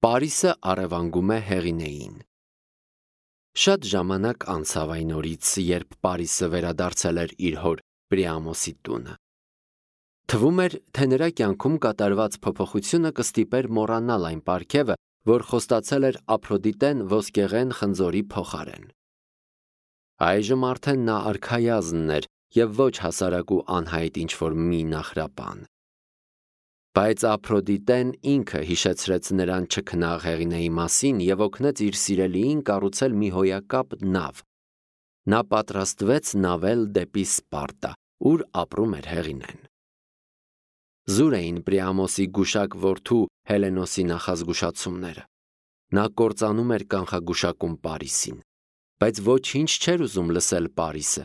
Պարիսը առևանգում է Հեղինեին։ Շատ ժամանակ անցավ այն օրից, երբ Պարիսը վերադարձել էր իր հոր Պրիամոսի տունը։ Թվում էր, թե նրա կյանքում կատարված փոփոխությունը կստիպեր մոռանալ այն պարգևը, որ խոստացել էր Ափրոդիտեն ոսկեղեն խնձորի փոխարեն։ Այժմ արդեն նա արքայազնն էր և ոչ հասարակ ու անհայտ ինչ-որ մի նախրապան։ Բայց Ափրոդիտեն ինքը հիշեցրեց նրան չքնաղ Հեղինեի մասին և օգնեց իր սիրելիին կառուցել մի հոյակապ նավ։ Նա պատրաստվեց նավել դեպի Սպարտա, ուր ապրում էր Հեղինեն։ Զուր էին Պրիամոսի գուշակ որդու Հելենոսի նախազգուշացումները։ Նա կործանում էր կանխագուշակում Պարիսին, բայց ոչինչ չէր ուզում լսել Պարիսը։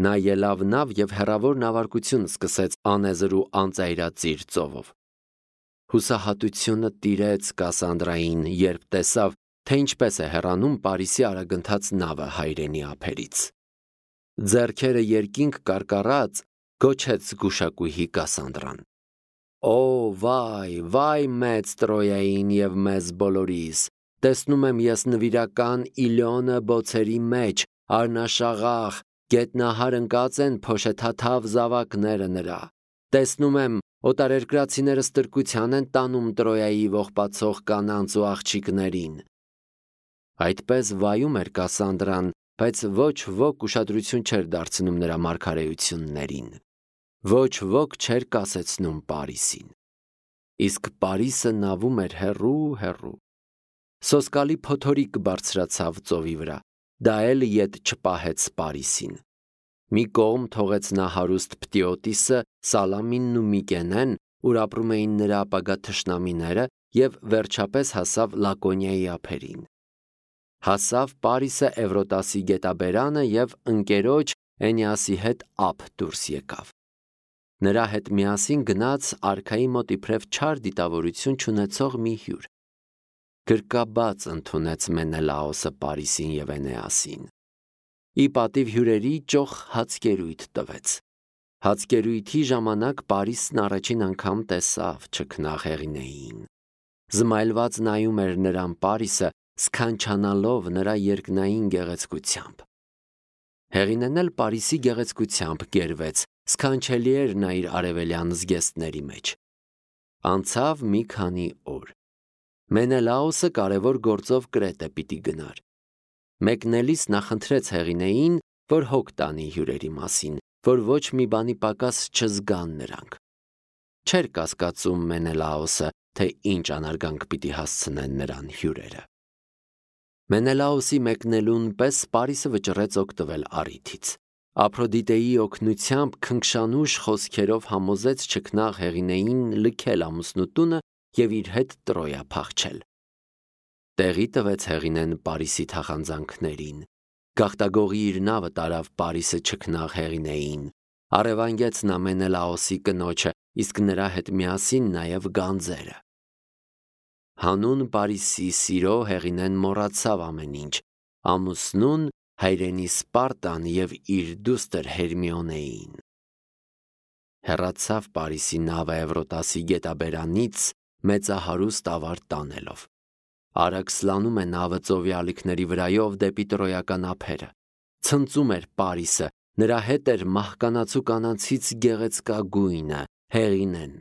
Նա ելավ նավ և հեռավոր նավարկություն սկսեց անեզր ու անծայրածիր ծովով։ Հուսահատությունը տիրեց Կասանդրային, երբ տեսավ, թե ինչպես է հեռանում Պարիսի արագընթաց նավը հայրենի ափերից։ Ձեռքերը երկինք կարկառած, գոչեց գուշակուհի Կասանդրան. «Օ, վայ, վայ մեծ Տրոյային և մեզ բոլորիս, տեսնում եմ ես նվիրական Իլիոնը բոցերի մեջ, արնաշաղախ, գետնահար ընկած են փոշեթաթավ զավակները նրա, տեսնում եմ օտարերկրացիները ստրկության են տանում Տրոյայի ողբացող կանանց ու աղջիկներին»։ Այդպես վայում էր Կասանդրան, բայց ոչ ոք ուշադրություն չէր դարձնում նրա մարգարեություններին։ Ոչ ոք չէր կասեցնում Պարիսին։ Իսկ Պարիսը նավում էր հեռու։ Սոսկալի փոթորիկ բարձրացավ ծովի վրա, դա էլ ետ չպահեց Պարիսին։ Մի կողմ թողեց նա հարուստ Պտիոտիսը, Սալամինն ու Միկենեն, ուր ապրում էին նրա ապագա թշնամիները, և վերջապես հասավ Լակոնիայի ափերին։ Հասավ Պարիսը Էվրոտասի գետաբերանը և ընկերոջ Էնեասի հետ ափ դուրս եկավ։ Նրա հետ միասին գնաց արքայի մոտ իբրև չար դիտավորություն չունեցող մի հյուր։ Գրկաբաց ընդունեց Մենելաոսը Պարիսին և Էնեասին։ Ի պատիվ հյուրերի ճոխ հացկերույթ տվեց։ Հացկերույթի ժամանակ Պարիսն առաջին անգամ տեսավ չքնաղ Հեղինեին։ Զմայլված նայում էր նրան Պարիսը, սքանչանալով նրա երկնային գեղեցկությամբ։ Հեղինեն էլ Պարիսի գեղեցկությամբ գերվեց, սքանչելի էր նա իր արևելյան զգեստների մեջ։ Անցավ մի քանի օր։ Մենելաոսը կարևոր գործով Կրետե պիտի գնար։ Մեկնելիս նա խնդրեց Հեղինեին, որ հոգ տանի հյուրերի մասին, որ ոչ մի բանի պակաս չզգան նրանք։ Չէր կասկածում Մենելաոսը, թե ինչ անարգանք պիտի հասցնեն նրան հյուրերը։ Մենելաոսի մեկնելուն պես Պարիսը վճռեց օգտվել առիթից։ Ափրոդիտեի օգնությամբ քնքշանուշ խոսքերով համոզեց չքնաղ Հեղինեին լքել ամուսնուտունը և իր հետ Տրոյա փախչել։ Տեղի տվեց Հեղինեն Պարիսի թախանձանքներին։ Գաղտագողի իր նավը տարավ Պարիսը չքնաղ Հեղինեին։ Առևանգեց նա Մենելաոսի կնոջը, իսկ նրա հետ միասին նաև գանձերը։ Հանուն Պարիսի սիրո Հեղինեն մոռացավ ամեն ինչ, ամուսնուն, հայրենի Սպարտան և իր դուստր Հերմիոնեին։ Հեռացավ Պարիսի նավը Էվրոտասի գետաբերանից, մեծահարուստ ավար տանելով։ Արագ սլանում է նավը ծովի ալիքների վրայով դեպի տրոյական ափերը։ Ցնծում էր Պարիսը, նրա հետ էր մահկանացու կանանցից գեղեցկագույնը Հեղինեն։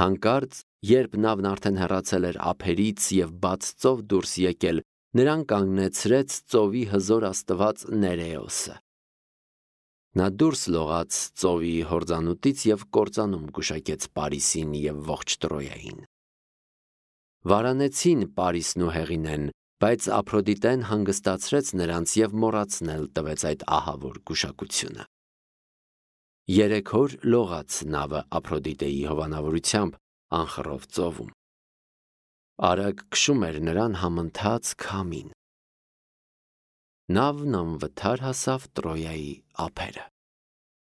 Հանկարծ, երբ նավն արդեն հեռացել էր ափերից և բաց ծով դուրս եկել, նրան կանգնեցրեց ծովի հզոր աստված Ներեոսը։ Նա դուրս լողաց ծովի հորձանուտից և կործանում գուշակեց Պարիսին և ողջ Տրոյային։ Վարանեցին Պարիսն ու Հեղինեն, բայց Ափրոդիտեն հանգստացրեց նրանց և մոռացնել տվեց այդ ահավոր գուշակությունը։ 3 օր լողաց նավը Ափրոդիտեի հովանավորությամբ անխռով ծովում։ Արագ քշում էր նրան համընթաց քամին։ Նավն անվթար հասավ Տրոյայի ափերը։